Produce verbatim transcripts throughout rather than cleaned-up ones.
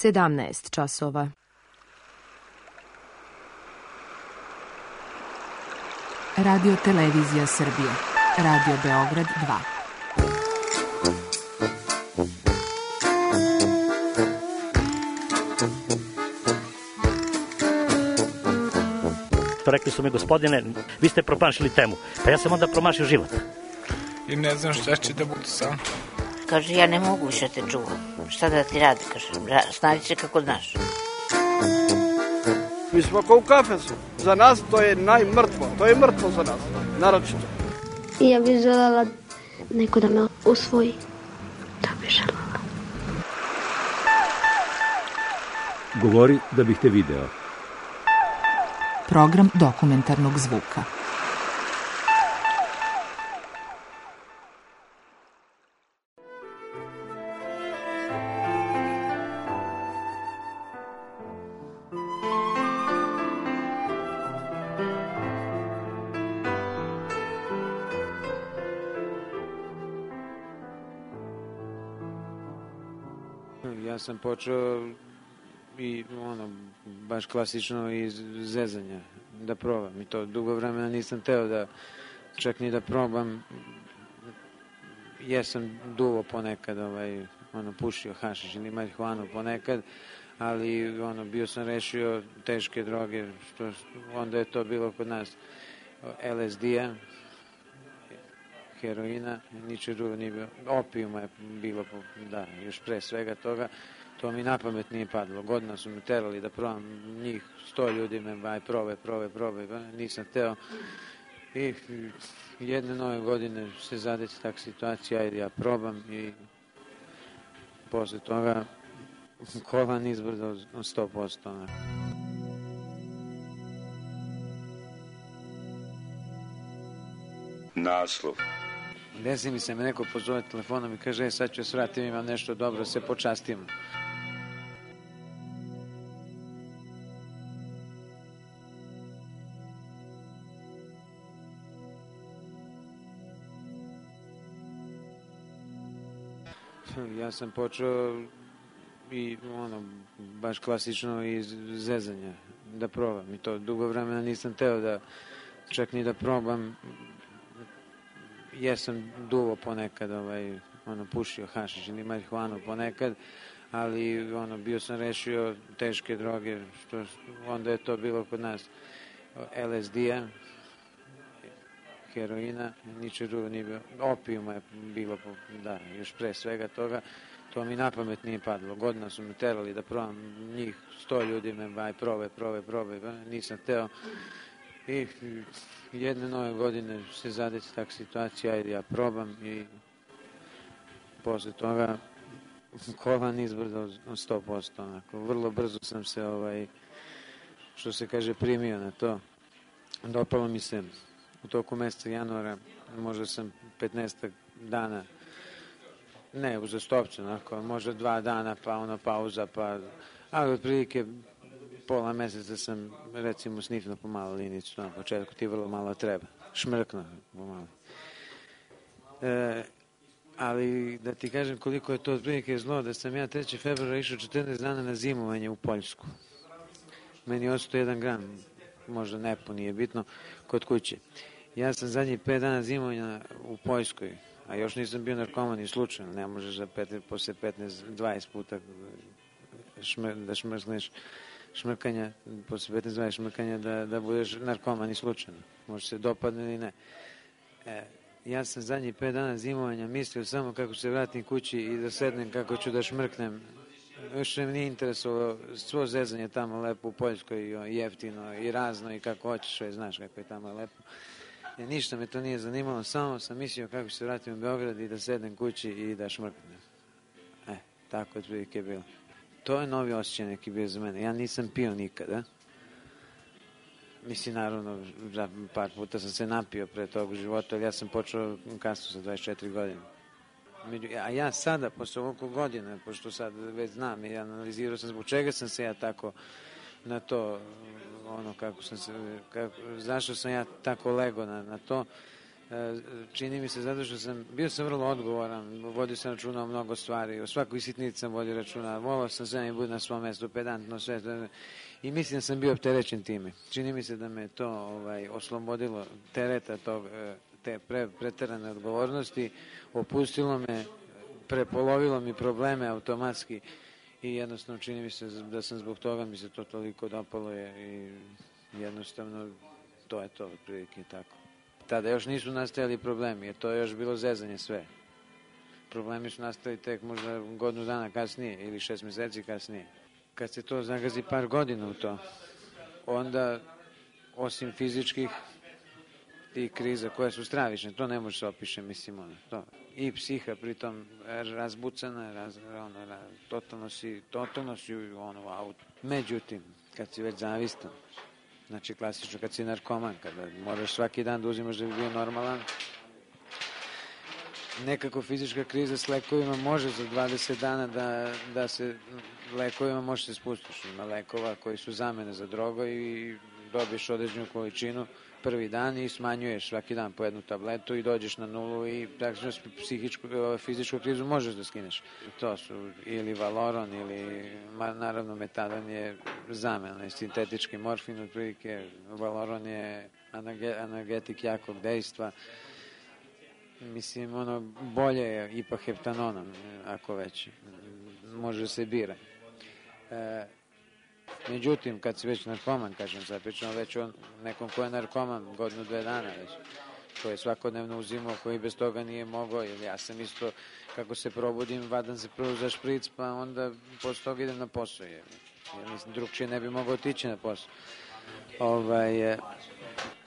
sedamnaest časova. Radio Televizija Srbije. Radio Beograd dva. Rekli su mi, gospodine, vi ste promašili temu. Pa ja sam onda promašio život. I ne znam šta će da bude sam. Kaže, ja ne mogu više te čuvam. Šta da ti radi, kaže, snađi se kako znaš. Mi smo kao u kafesu. Za nas to je najmrtvo. To je mrtvo za nas, naročito. I ja bih željela neko da me usvoji. To bih željela. Govori da bih te video. Program dokumentarnog zvuka. Ja sam počeo i ono, baš klasično iz zezanja da probam i to dugo vremena nisam teo da čak ni da probam. Jesam duvo ponekad, ovaj, ono, pušio hašiš ili marihuanu ponekad, ali ono, bio sam rešio teške droge, što onda je to bilo kod nas el es de-a, heroina, ničeg drugo nije bilo, opijuma je bilo, da, još pre svega toga. To mi na pamet nije padlo. Godina su me terali da probam njih, sto ljudi me, aj, probaj, probaj, probaj, nisam teo. I jedne nove godine se zadesi tak situacija, ajde ja probam i posle toga kolan izbrdo sto posto. Naslov. Desi mi se me neko pozove telefonom i kaže, e, sad ću svratim, imam nešto dobro, se počastim. Ja sam počeo i ono, baš klasično iz zezanja da probam i to dugo vremena nisam teo da čak ni da probam. Jesam duvo ponekad, ovaj, ono, pušio hašiš ili marihuanu ponekad, ali ono, bio sam rešio teške droge, što onda je to bilo kod nas el es de-a, heroina, ničeg drugo nije bilo, opijuma je bilo, da, još pre svega toga. To mi na pamet nije padlo. Godina su me terali da probam njih, sto ljudi me, aj, probaj, probaj, probaj, nisam teo. I jedne nove godine se zadesi tak situacija, ajde ja probam i posle toga kolan izbrdo sto posto. Onako. Vrlo brzo sam se, ovaj, što se kaže, primio na to. Dopalo mi se u toku meseca januara, možda sam petnaestak dana, ne uzastopce, onako, možda dva dana, pa ono pauza, pa, ali otprilike pola meseca sam, recimo, snifno pomalo linicu, na početku ti vrlo malo treba, šmrkno pomalo. E, ali da ti kažem koliko je to otprilike zlo, da sam ja trećeg februara išao četrnaest dana na zimovanje u Poljsku. Meni je ostao jedan gram, možda ne po, nije bitno, kod kuće. Ja sam zadnjih pet dana zimovanja u Poljskoj, a još nisam bio narkoman i slučajno, ne možeš za pet, posle petnaest dvadeset puta šmr, da šmrkneš šmrkanja, posle petnaest dvadeset šmrkanja da, da budeš narkoman i slučajno. Može se dopadne ili ne. E, ja sam zadnjih pet dana zimovanja mislio samo kako se vratim kući i da sednem kako ću da šmrknem. Još me nije interesovalo svo zezanje tamo lepo u Poljskoj, i jeftino i razno i kako hoćeš, već znaš kako je tamo lepo. E, ništa me to nije zanimalo, samo sam mislio kako se vratim u Beograd i da sednem kući i da šmrknem. E, tako je otprilike je bilo. To je novi osjećaj neki bio za mene. Ja nisam pio nikada. Mislim, naravno, za par puta sam se napio pre tog u životu, ali ja sam počeo kasno sa dvadeset četiri godine. A ja sada, posle ovoliko godina, pošto sad već znam i analizirao sam zbog čega sam se ja tako na to, ono kako sam se, kako, zašto sam ja tako lego na, na to, čini mi se zato što sam, bio sam vrlo odgovoran, vodio sam računa o mnogo stvari, o svakoj sitnici sam vodio računa, volao sam sve i bude na svom mestu, pedantno sve, i mislim da sam bio opterećen time. Čini mi se da me to ovaj, oslobodilo tereta tog, te pre, preterane odgovornosti, opustilo me, prepolovilo mi probleme automatski i jednostavno čini mi se da sam zbog toga mi se to toliko dopalo je i jednostavno to je to, otprilike tako. Tada još nisu nastajali problemi, jer to je još bilo zezanje sve. Problemi su nastali tek možda godinu dana kasnije ili šest meseci kasnije. Kad se to zagazi par godina u to, onda osim fizičkih tih kriza koje su stravične, to ne može se opiše, mislim, ono, to. I psiha pritom razbucana, raz, ono, raz, totalno si, totalno si ono, auto. Međutim, kad si već zavistan, znači klasično kad si narkoman, kada moraš svaki dan da uzimaš da bi bio normalan, nekako fizička kriza s lekovima može za dvadeset dana da, da se lekovima može se spustiš. Ima lekova koji su zamene za drogo i dobiješ određenu količinu prvi dan i smanjuješ svaki dan po jednu tabletu i dođeš na nulu i praktično psihičku, fizičku krizu možeš da skineš. To su ili Valoron ili naravno metadon je zamena, sintetički morfin otprilike, Valoron je analgetik jakog dejstva. Mislim, ono, bolje je ipak heptanonom, ako već može se bira. E, međutim, kad si već narkoman, kažem, sad pričamo već o nekom ko je narkoman godinu, dve dana već, koji je svakodnevno uzimao, koji bez toga nije mogao, jer ja sam isto, kako se probudim, vadam se prvo za špric, pa onda posle toga idem na posao, jer, jer mislim, drugčije ne bi mogao otići na posao. Ovaj,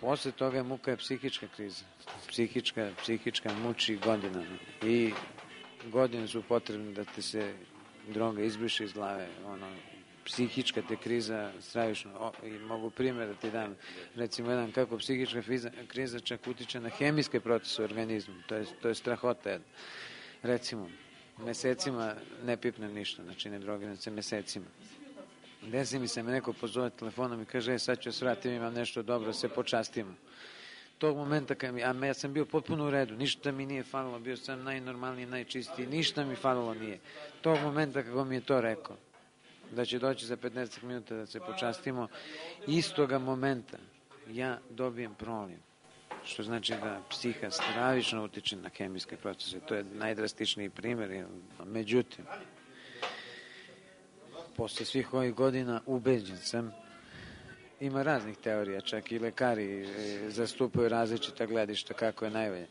posle toga je muka je psihička kriza. Psihička, psihička muči godinama. I godine su potrebne da te se droga izbriše iz glave. Ono, psihička te kriza stravično. O, i mogu primjer da ti dam. Recimo jedan kako psihička kriza, kriza čak utiče na hemijske procese u organizmu. To je, to je strahota jedna. Recimo, mesecima ne pipnem ništa, znači ne drogiram se mesecima. Desi mi se me neko pozove telefonom i kaže, e, sad ću svratim, imam nešto dobro, se počastimo. Tog momenta, kad mi, a ja sam bio potpuno u redu, ništa mi nije falilo, bio sam najnormalniji, najčistiji, ništa mi falilo nije. Tog momenta kako mi je to rekao, da će doći za petnaest minuta da se počastimo, istoga momenta ja dobijem proliv. Što znači da psiha stravično utiče na hemijske procese. To je najdrastičniji primjer. Međutim, posle svih ovih godina ubeđen sam, ima raznih teorija, čak i lekari zastupaju različita gledišta kako je najbolje.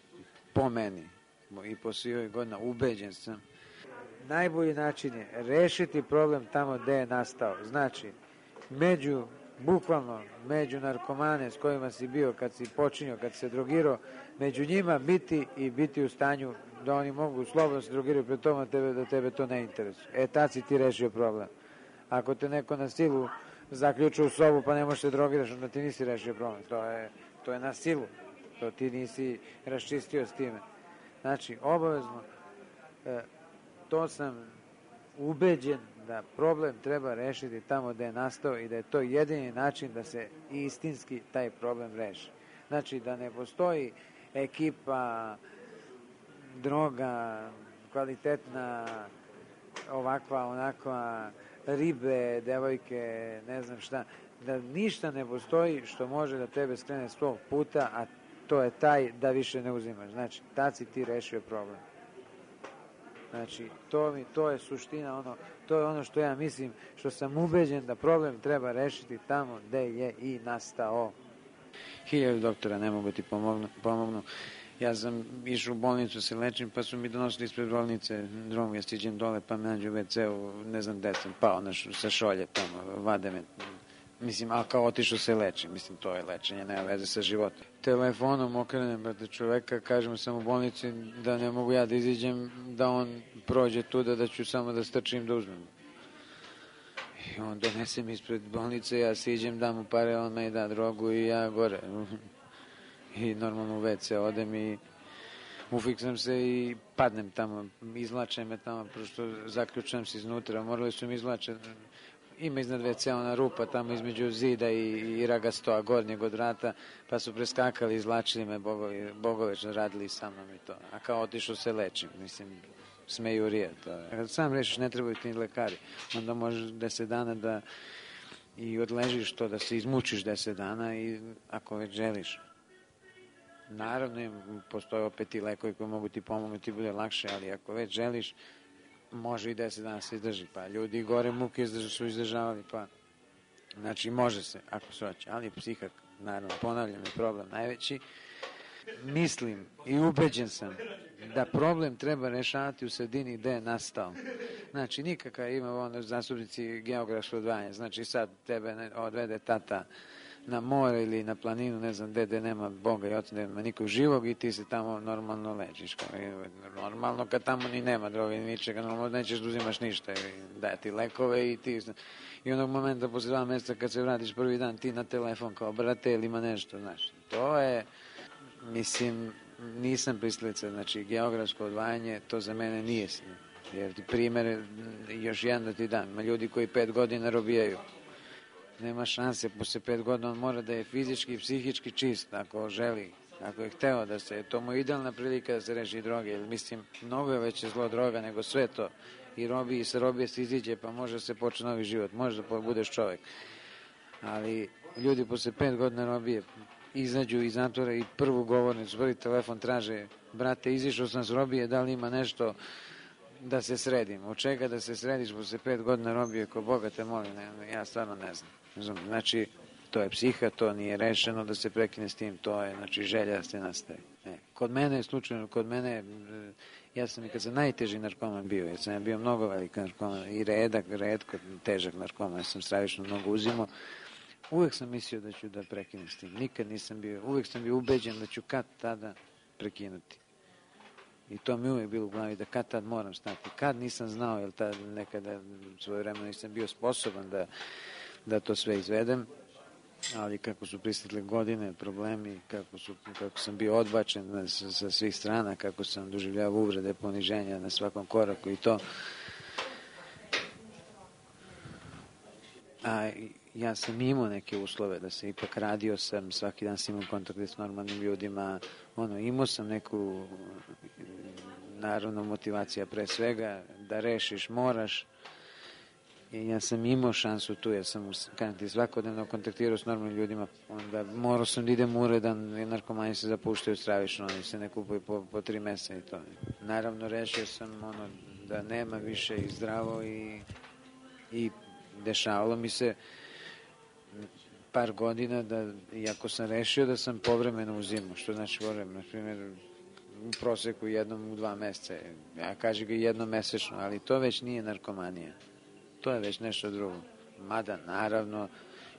Po meni i posle ovih godina ubeđen sam, najbolji način je rešiti problem tamo gde je nastao. Znači, među, bukvalno, među narkomane s kojima si bio kad si počinio, kad se drogirao, među njima biti i biti u stanju da oni mogu slobodno se drogirati pred toma tebe, da tebe to ne interesuje. E, tad si ti rešio problem. Ako te neko na silu zaključa u sobu pa ne možeš se drogiraš, onda ti nisi rešio problem. To je, to je na silu. To ti nisi raščistio s time. Znači, obavezno, e, to sam ubeđen da problem treba rešiti tamo gde je nastao i da je to jedini način da se istinski taj problem reši. Znači, da ne postoji ekipa, droga, kvalitetna, ovakva, onakva, ribe, devojke, ne znam šta, da ništa ne postoji što može da tebe skrene s tog puta, a to je taj da više ne uzimaš. Znači, tad si ti rešio problem. Znači, to, mi, to je suština, ono, to je ono što ja mislim, što sam ubeđen da problem treba rešiti tamo gde je i nastao. Hiljadu doktora ne mogu ti pomognu, pomognu. Ja sam išao u bolnicu se lečim, pa su mi donosili ispred bolnice drogu, ja stiđem dole, pa me nađu u ve ceu, ne znam gde sam pao na š, sa šolje tamo, vade me. Mislim, a kao otišao se leči, mislim, to je lečenje, nema veze sa životom. Telefonom okrenem, brate, čoveka, kažem sam u bolnici da ne mogu ja da iziđem, da on prođe tuda, da ću samo da strčim da uzmem. I on donese mi ispred bolnice, ja siđem, dam mu pare, on me da drogu i ja gore. I normalno u ve ce odem i ufiksam se i padnem tamo, izlače me tamo, prosto zaključam se iznutra, morali su mi izlače, ima iznad ve ce ona rupa tamo između zida i, i ragastoa gornjeg od vrata, pa su preskakali, izlačili me, bogovi, bogovečno radili sa mnom i to. A kao otišao se lečim, mislim, smejurija. To je. Kad sam rešiš, ne trebaju ti lekari. Onda možeš deset dana da i odležiš to, da se izmučiš deset dana i ako već želiš. Naravno, postoje opet i lekovi koji mogu ti pomoći, ti bude lakše, ali ako već želiš, može i deset dana se izdrži. Pa ljudi gore muke su izdržavali, pa znači može se, ako se hoće, ali psihak, naravno, ponavljam, je problem najveći. Mislim i ubeđen sam da problem treba rešavati u sredini gde je nastao. Znači, nikakav ima ono zastupnici geografsko odvajanje. Znači, sad tebe odvede tata na more ili na planinu, ne znam gde, gde nema Boga i oca, nema nikog živog i ti se tamo normalno lečiš. Normalno kad tamo ni nema droge ni ničega, normalno nećeš da uzimaš ništa, daje ti lekove i ti... I onog momenta posle dva mjeseca kad se vratiš prvi dan ti na telefon kao brate ili ima nešto, znaš. To je, mislim, nisam pristalica, znači geografsko odvajanje, to za mene nije sve. Jer ti primjer, još jedan da ti dam, ima ljudi koji pet godina robijaju. Nema šanse, posle pet godina on mora da je fizički i psihički čist, ako želi, ako je hteo da se, to mu je idealna prilika da se reši droge, jer mislim, mnogo je veće zlo droga nego sve to. I robi, i sa robije se iziđe, pa može se počne novi život, može da budeš čovek. Ali ljudi posle pet godina robije izađu iz zatvora i prvu govornicu, prvi telefon traže, brate, izišao sam s robije, da li ima nešto da se sredim. Od čega da se središ posle pet godina robije, ko Boga te molim, ne, ja stvarno ne znam. Znači, to je psiha, to nije rešeno da se prekine s tim, to je, znači, želja da se nastavi. Ne. Kod mene je slučajno, kod mene, ja sam i kad sam najteži narkoman bio, ja sam bio mnogo veliki narkoman i redak, redko, težak narkoman, ja sam stravično mnogo uzimao. Uvek sam mislio da ću da prekinem s tim, nikad nisam bio, uvek sam bio ubeđen da ću kad tada prekinuti. I to mi uvijek bilo u glavi da kad tad moram stati. Kad nisam znao, jer tad nekada svoje vremena nisam bio sposoban da, da to sve izvedem, ali kako su pristigle godine, problemi, kako, su, kako sam bio odbačen sa, sa svih strana, kako sam doživljavao uvrede, poniženja na svakom koraku i to. A ja sam imao neke uslove da se ipak radio sam, svaki dan sam imao kontakte s normalnim ljudima, ono, imao sam neku naravno motivacija pre svega, da rešiš, moraš. I ja sam imao šansu tu, ja sam kanti svakodnevno kontaktirao s normalnim ljudima, onda morao sam da idem uredan, i narkomani se zapuštaju stravično, oni se ne kupuju po, po tri meseca i to. Naravno rešio sam ono da nema više i zdravo i, i dešavalo mi se par godina da, iako sam rešio da sam povremeno uzimao, što znači povremeno, na primjer, u proseku jednom u dva meseca, ja kažem ga jednom mesečno, ali to već nije narkomanija, to je već nešto drugo. Mada, naravno,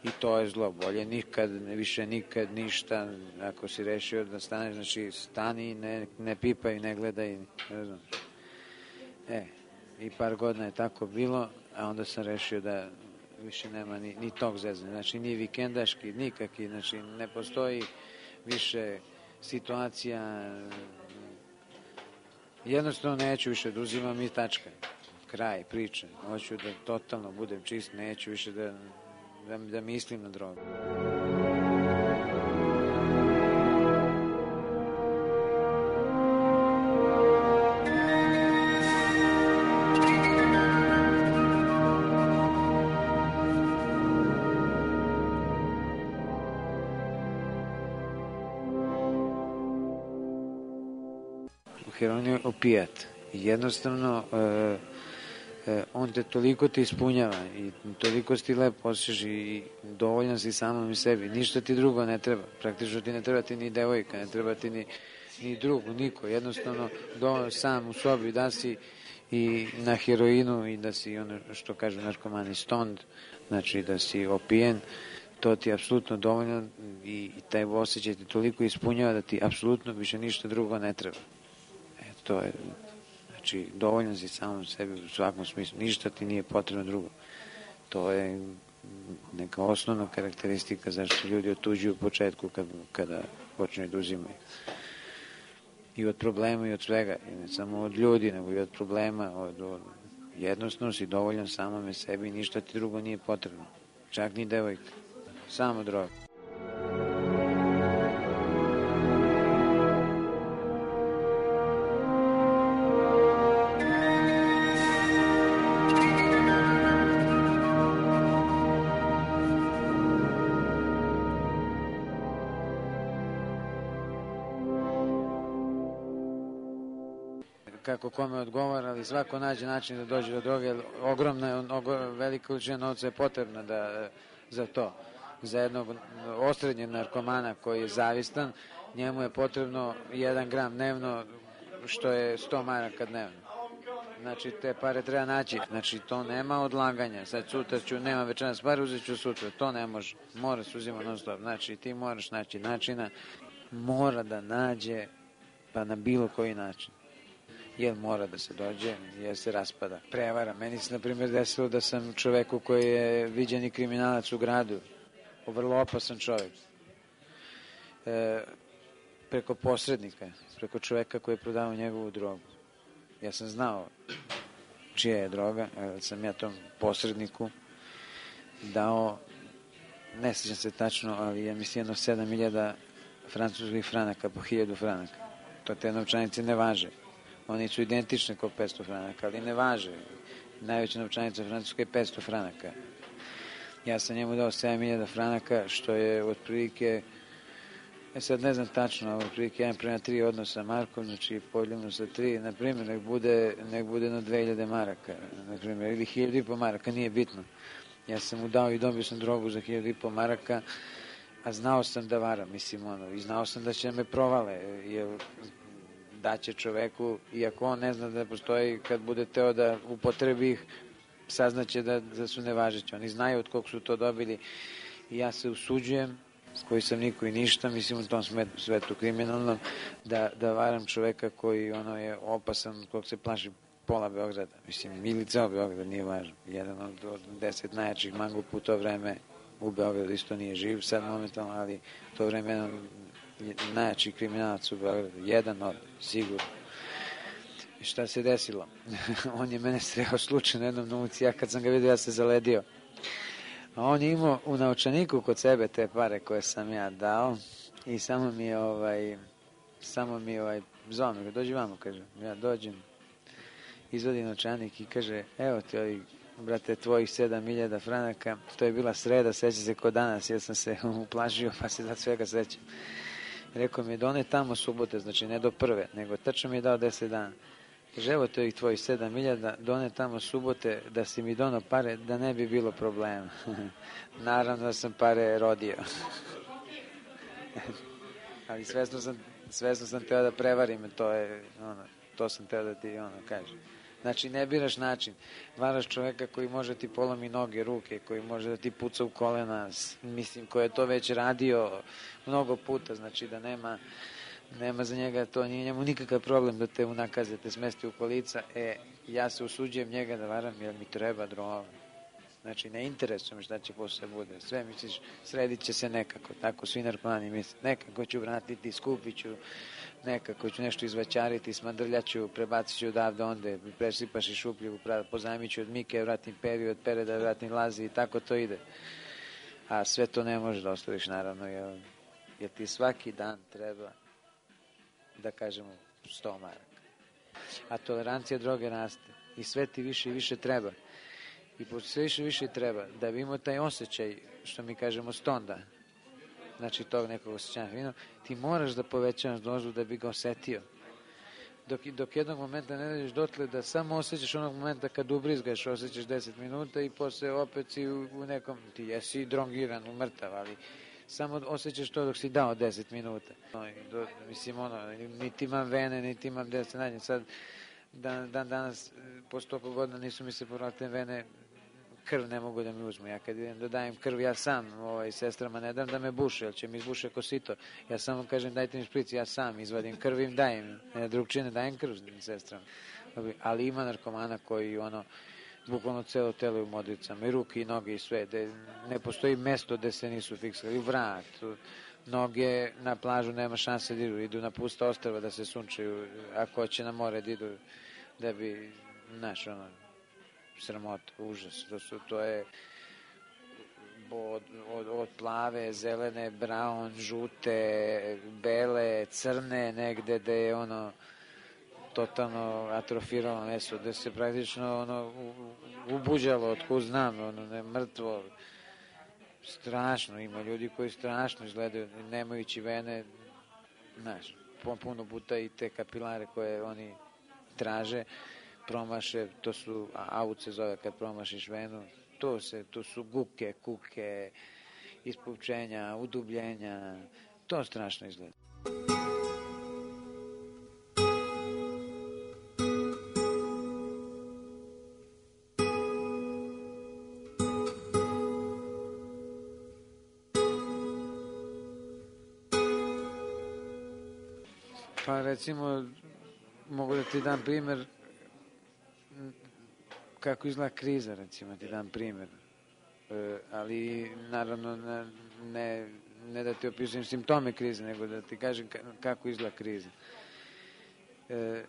i to je zlo, bolje nikad, više nikad, ništa, ako si rešio da staneš, znači stani, ne, ne pipaj, ne gledaj, ne znam. E, i par godina je tako bilo, a onda sam rešio da više nema ni, ni tog zezanja, znači ni vikendaški, nikaki, znači ne postoji više situacija, jednostavno neću više da uzimam i tačka, kraj priče, hoću da totalno budem čist, neću više da, da, da mislim na drogu. Heroin je opijat. Jednostavno, e, e, on te toliko te ispunjava i toliko si ti lepo osjećaš i dovoljan si samom i sebi. Ništa ti drugo ne treba. Praktično ti ne treba ti ni devojka, ne treba ti ni, ni drugu, niko. Jednostavno, do, sam u sobi da si i na heroinu i da si, ono što kažu narkomani, stoned, znači da si opijen, to ti je apsolutno dovoljno i, i taj osjećaj ti toliko ispunjava da ti apsolutno više ništa drugo ne treba. To je, znači, dovoljno si samom sebi u svakom smislu, ništa ti nije potrebno drugo. To je neka osnovna karakteristika zašto ljudi otuđuju u početku kad, kada počne da uzimaju. I od problema i od svega, i ne samo od ljudi, nego i od problema, od, od Jednostavno si dovoljan samome sebi, ništa ti drugo nije potrebno. Čak ni devojka. Samo droga. Kako kome odgovara, ali svako nađe način da dođe do droge, ogromna, velika količina novca je potrebna da, za to. Za jednog osrednjeg narkomana koji je zavistan, njemu je potrebno jedan gram dnevno, što je sto maraka dnevno. Znači, te pare treba naći, znači to nema odlaganja, sad sutra ću, nema večeras pare, uzet ću sutra, to ne može, mora se uzima non stop, znači ti moraš naći načina, mora da nađe, pa na bilo koji način. Jer mora da se dođe, jer se raspada. Prevara. Meni se, na primjer, desilo da sam čoveku koji je viđeni kriminalac u gradu, vrlo opasan čovek, e, preko posrednika, preko čoveka koji je prodavao njegovu drogu. Ja sam znao čija je droga, jer sam ja tom posredniku dao, ne sjećam se tačno, ali ja mislim jedno sedam hiljada francuskih franaka po hiljadu franaka. To te novčanice ne važe. Oni su identični kao petsto franaka, ali ne važe. Najveća novčanica Francuska je petsto franaka. Ja sam njemu dao sedam hiljada franaka, što je otprilike, ja sad ne znam tačno, ali otprilike jedan prema tri odnos sa Markom, znači podijeljeno sa tri, na primjer, nek bude, nek bude na dve hiljade maraka, na primjer, ili hiljadu i po maraka, nije bitno. Ja sam mu dao i dobio sam drogu za hiljadu i po maraka, a znao sam da varam, mislim, ono, i znao sam da će me provale, jer daće čoveku, iako on ne zna da postoji, kad bude teo da upotrebi ih, saznaće da, da su nevažeći. Oni znaju od kog su to dobili i ja se usuđujem, s koji sam niko i ništa, mislim u tom svetu kriminalnom, da, da varam čoveka koji ono je opasan, kog se plaši pola Beograda. Mislim, ili ceo Beograd, nije važno. Jedan od, od deset najjačih mangupa u to vreme u Beogradu isto nije živ sad momentalno, ali u to vreme jedan najjači kriminalac u Beogradu, jedan od, sigurno. I šta se desilo? On je mene sreo slučajno jednom na ulici, ja kad sam ga vidio, ja se zaledio. A on je imao u naučaniku kod sebe te pare koje sam ja dao i samo mi je ovaj, samo mi je ovaj, zvao me, dođi vamo, kaže, ja dođem, izvodi naučanik i kaže, evo ti ovi, brate, tvojih sedam hiljada franaka, to je bila sreda, seća se kod danas, jer sam se uplašio, pa se da svega sećam. Rekao mi je, done tamo subote, znači ne do prve, nego tačno mi je dao deset dana. Kaže, evo to je tvojih sedam hiljada, done tamo subote, da si mi dono pare, da ne bi bilo problema. Naravno da sam pare rodio. Ali svesno sam, svesno sam teo da prevarim, to je, ono, to sam teo da ti, ono, kažem. Znači, ne biraš način. Varaš čoveka koji može ti polomi noge, ruke, koji može da ti puca u kolena, mislim, koji je to već radio mnogo puta, znači da nema, nema za njega, to nije njemu nikakav problem da te unakaze, te smesti u kolica. E, ja se usuđujem njega da varam jer mi treba droga. Znači, ne interesuje me šta će posle bude. Sve misliš, sredit će se nekako, tako svi narkomani misle. Nekako ću vratiti, skupit ću, nekako ću nešto izvaćariti, smandrljaću, prebacit ću odavde onde, presipaš i šupljivu, pozajmit ću od Mike, vratim Peri, od Pere da vratim Lazi i tako to ide. A sve to ne možeš da ostaviš, naravno, jer, jer ti svaki dan treba, da kažemo, sto maraka. A tolerancija droge raste i sve ti više i više treba. I pošto sve više više treba, da bi imao taj osjećaj, što mi kažemo stonda, znači tog nekog osjećanja vino, ti moraš da povećavaš dozu da bi ga osetio. Dok, dok jednog momenta ne dođeš dotle da samo osjećaš onog momenta kad ubrizgaš, osjećaš deset minuta i posle opet si u, u nekom, ti jesi drongiran, umrtav, ali samo osjećaš to dok si dao deset minuta. No, do, mislim, ono, niti imam vene, niti imam gde se nađem. Sad, dan, dan danas, po stopu godina nisu mi se povratile vene, krv ne mogu da mi uzmu. Ja kad idem da dajem krv, ja sam, ovaj, sestrama ne dam da me buše, jer će mi izbuše kosito. Ja samo kažem dajte mi špric, ja sam izvadim krv im dajem. Ne, drugčine dajem krv sestrama. Ali ima narkomana koji ono, bukvalno celo telo u modricama, i ruke i noge i sve, de, ne postoji mesto gde se nisu fiksali, vrat, noge na plažu nema šanse da idu, idu na pusta ostrva da se sunčaju, ako hoće na more da idu, da bi, znaš, ono, sramota, užas. To, su, to je od, od, od plave, zelene, brown, žute, bele, crne, negde gde je ono totalno atrofiralo meso, gde se praktično ono ubuđalo, otkud znam, ono ne mrtvo, strašno, ima ljudi koji strašno izgledaju, nemajući vene, znaš, puno puta i te kapilare koje oni traže, promaše, to su, aut se zove kad promašiš venu, to se, to su guke, kuke, ispupčenja, udubljenja, to strašno izgleda. Pa recimo, mogu da ti dam primer kako izgleda kriza, recimo ti dam primer. E, ali naravno ne, ne da ti opisujem simptome krize, nego da ti kažem kako izgleda kriza. E,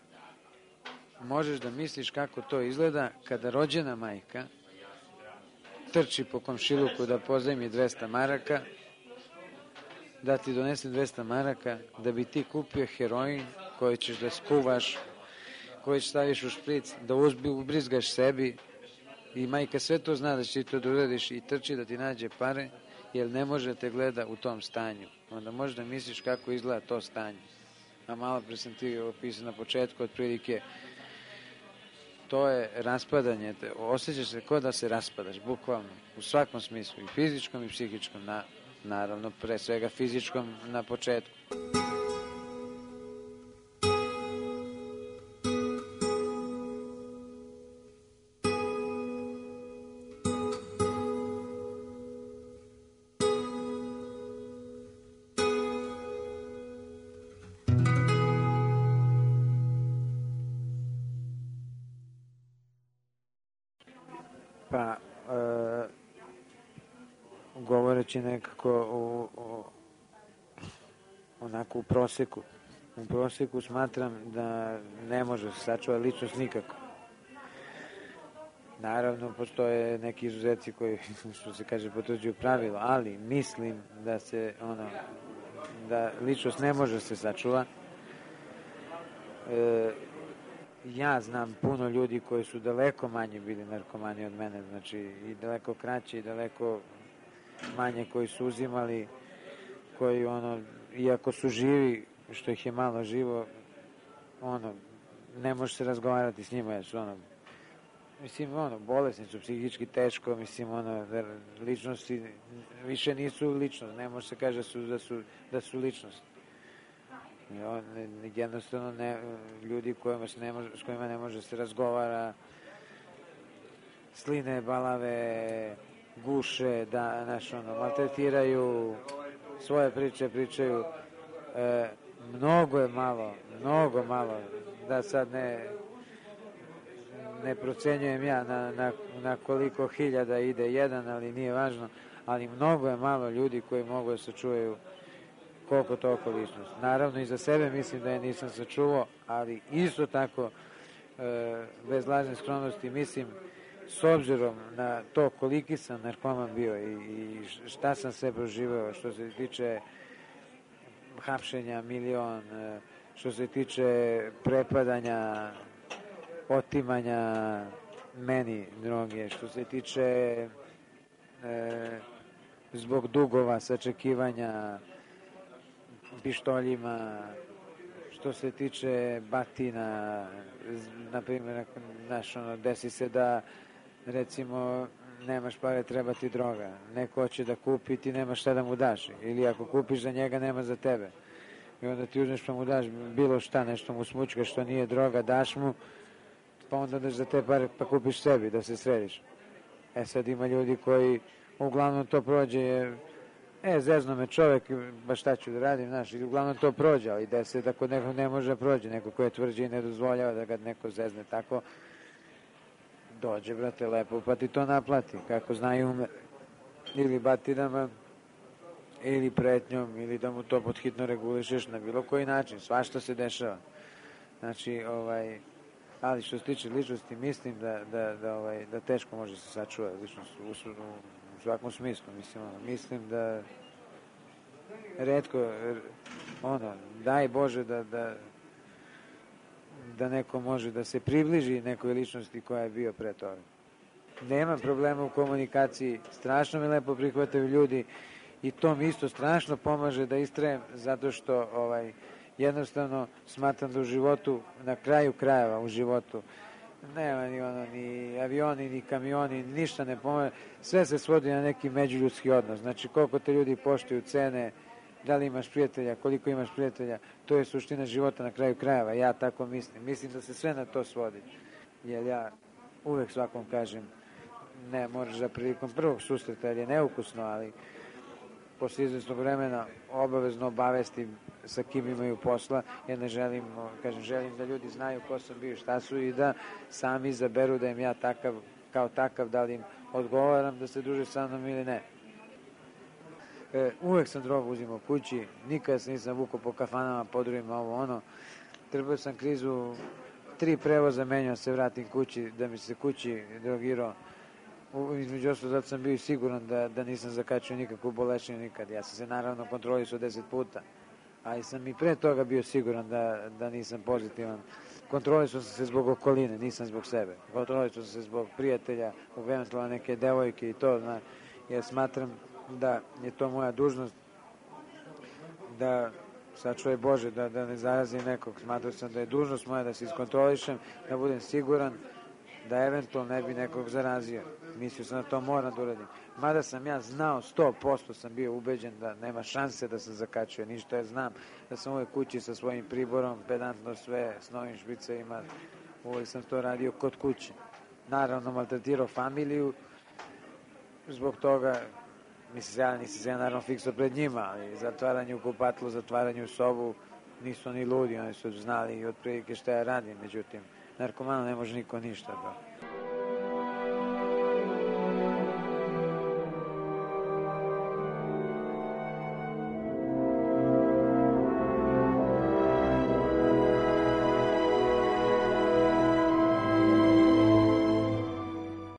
možeš da misliš kako to izgleda kada rođena majka trči po komšiluku da pozajmi dvesta maraka, da ti donese dvesta maraka, da bi ti kupio heroin koji ćeš da skuvaš, koji ćeš staviš u špric, da uzbi, ubrizgaš sebi i majka sve to zna da će ti to da uradiš i trči da ti nađe pare, jer ne može da te gleda u tom stanju. Onda možeš da misliš kako izgleda to stanje. A malo pre sam ti opisao na početku, otprilike to je raspadanje, osjećaš se kao da se raspadaš, bukvalno, u svakom smislu, i fizičkom i psihičkom, na, naravno, pre svega fizičkom na početku. Pa, e, govoreći nekako u, u, onako u proseku, u proseku smatram da ne može se sačuvati ličnost nikako. Naravno, postoje neki izuzeci koji, što se kaže, potvrđuju pravilo, ali mislim da se, ono, da ličnost ne može se sačuva. E, ja znam puno ljudi koji su daleko manje bili narkomani od mene, znači i daleko kraće i daleko manje koji su uzimali, koji ono, iako su živi, što ih je malo živo, ono, ne može se razgovarati s njima, jer su ono, mislim, ono, bolesni su, psihički teško, mislim, ono, ličnosti više nisu ličnost, ne može se kaže da su, da su, da su ličnost. On, jednostavno ne, ljudi kojima se ne može, s kojima ne može se razgovara, sline, balave, guše, da, znaš, ono, maltretiraju, svoje priče pričaju, e, mnogo je malo, mnogo malo, da sad ne ne procenjujem ja na, na, na koliko hiljada ide jedan, ali nije važno, ali mnogo je malo ljudi koji mogu da se čuvaju koliko toliko ličnost. Naravno i za sebe mislim da je nisam sačuvao, ali isto tako e, bez lažne skromnosti mislim, s obzirom na to koliki sam narkoman bio i, i šta sam sve proživao što se tiče hapšenja milion, e, što se tiče prepadanja, otimanja meni droge, što se tiče e, zbog dugova, sačekivanja, pištoljima, što se tiče batina, na primjer, znaš, ono, desi se da, recimo, nemaš pare, treba ti droga, neko hoće da kupi, ti nemaš šta da mu daš, ili ako kupiš za njega, nema za tebe. I onda ti uzmeš pa mu daš bilo šta, nešto mu smučkaš što nije droga, daš mu, pa onda daš za te pare pa kupiš sebi da se središ. E sad ima ljudi koji uglavnom to prođe jer e, zezno me čovek, baš šta ću da radim, znaš, i uglavnom to prođe, ali da se tako neko ne može da prođe, neko ko je tvrđe i ne dozvoljava da ga neko zezne tako, dođe, brate, lepo, pa ti to naplati, kako znaju ume, ili batinama, ili pretnjom, ili da mu to podhitno regulišeš na bilo koji način, svašta se dešava. Znači, ovaj, Ali što se tiče ličnosti, mislim da, da, da, ovaj, da teško može se sačuvati ličnost u, u, u svakom smislu. Mislim, ono, mislim da retko, ono, daj Bože da, da, da neko može da se približi nekoj ličnosti koja je bio pre toga. Nema problema u komunikaciji, strašno me lepo prihvataju ljudi i to mi isto strašno pomaže da istrajem, zato što ovaj, jednostavno smatram da u životu, na kraju krajeva u životu, nema ni ono, ni avioni, ni kamioni, ništa ne pomaže, sve se svodi na neki međuljudski odnos. Znači, koliko te ljudi poštuju, cene, da li imaš prijatelja, koliko imaš prijatelja, to je suština života na kraju krajeva, ja tako mislim. Mislim da se sve na to svodi, jer ja uvek svakom kažem, ne, moraš da prilikom prvog susreta, jer je neukusno, ali posle izvesnog vremena obavezno obavesti sa kim imaju posla, jer ne želim, kažem, želim da ljudi znaju ko sam bio, šta su i da sami izaberu da im ja takav, kao takav, da li im odgovaram da se druže sa mnom ili ne. E, uvek sam drogu uzimao kući, nikada se nisam vukao po kafanama, podrujima, ovo ono. Trebao sam krizu, tri prevoza menjao se vratim kući, da mi se kući drogirao. Između ostalo, zato sam bio siguran da, da nisam zakačio nikakvu bolešinu nikad. Ja sam se naravno kontrolisao deset puta, ali sam i pre toga bio siguran da, da nisam pozitivan. Kontrolisao sam se zbog okoline, nisam zbog sebe. Kontrolisao sam se zbog prijatelja, eventualno neke devojke i to, zna, jer smatram da je to moja dužnost, da sačuvaj Bože, da, da ne zarazim nekog. Smatrao sam da je dužnost moja da se iskontrolišem, da budem siguran da eventualno ne bi nekog zarazio. Mislio sam da to moram da uradim. Mada sam ja znao, sto posto sam bio ubeđen da nema šanse da sam zakačio ništa, jer znam da sam uvek kući sa svojim priborom, pedantno sve, s novim špicevima, uvek sam to radio kod kuće. Naravno, maltretirao familiju, zbog toga, mislim, ja nisam se ja naravno fiksao pred njima, ali zatvaranje u kupatlu, zatvaranje u sobu, nisu ni ludi, oni su znali i otprilike šta ja radim, međutim, narkomanu ne može niko ništa da.